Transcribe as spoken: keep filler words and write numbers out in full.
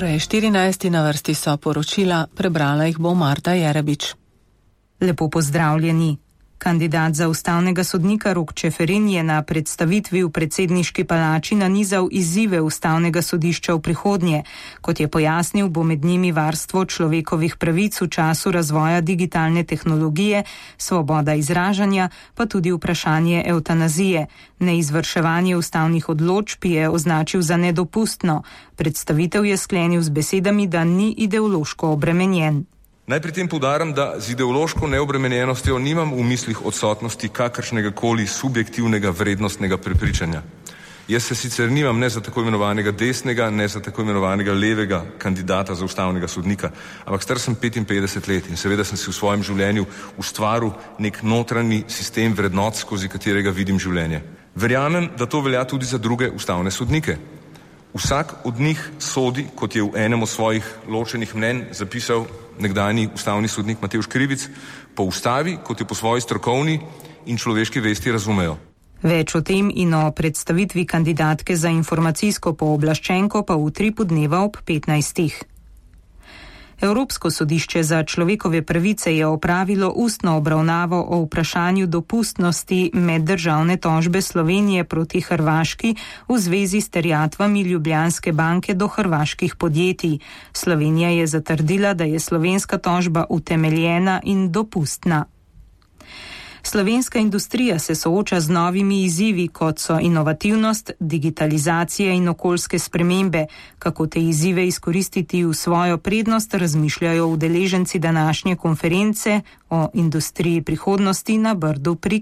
Ura je štirinajst, na vrsti so poročila, prebrala jih bo Marta Jerebič. Lepo pozdravljeni. Kandidat za ustavnega sodnika Rok Čeferin je na predstavitvi v predsedniški palači nanizal izzive ustavnega sodišča v prihodnje. Kot je pojasnil, bo med njimi varstvo človekovih pravic v času razvoja digitalne tehnologije, svoboda izražanja, pa tudi vprašanje evtanazije. Neizvrševanje ustavnih odločb je označil za nedopustno. Predstavitev je sklenil z besedami, da ni ideološko obremenjen. Naj pri tem poudarim, da z ideološko neobremenjenostjo nimam v mislih odsotnosti kakršnega koli subjektivnega vrednostnega prepričanja. Jaz se sicer nimam ne za tako imenovanega desnega, ne za tako imenovanega levega kandidata za ustavnega sodnika, ampak star sem petinpetdeset let in seveda sem si v svojem življenju ustvaril nek notranji sistem vrednot, skozi katerega vidim življenje. Verjamem, da to velja tudi za druge ustavne sodnike. Vsak od njih sodi, kot je v enem od svojih ločenih mnenj zapisal nekdanji ustavni sodnik Matevž Krivic, po ustavi, kot jo po svoji strokovni in človeški vesti razumejo. Več o tem in o predstavitvi kandidatke za informacijsko pooblaščenko pa v tripu dneva ob petnajstih. Evropsko sodišče za človekove pravice je opravilo ustno obravnavo o vprašanju dopustnosti meddržavne tožbe Slovenije proti Hrvaški v zvezi s terjatvami Ljubljanske banke do hrvaških podjetij. Slovenija je zatrdila, da je slovenska tožba utemeljena in dopustna. Slovenska industrija se sooča z novimi izzivi, kot so inovativnost, digitalizacija in okoljske spremembe. Kako te izzive izkoristiti v svojo prednost, razmišljajo udeleženci današnje konference o industriji prihodnosti na Brdu pri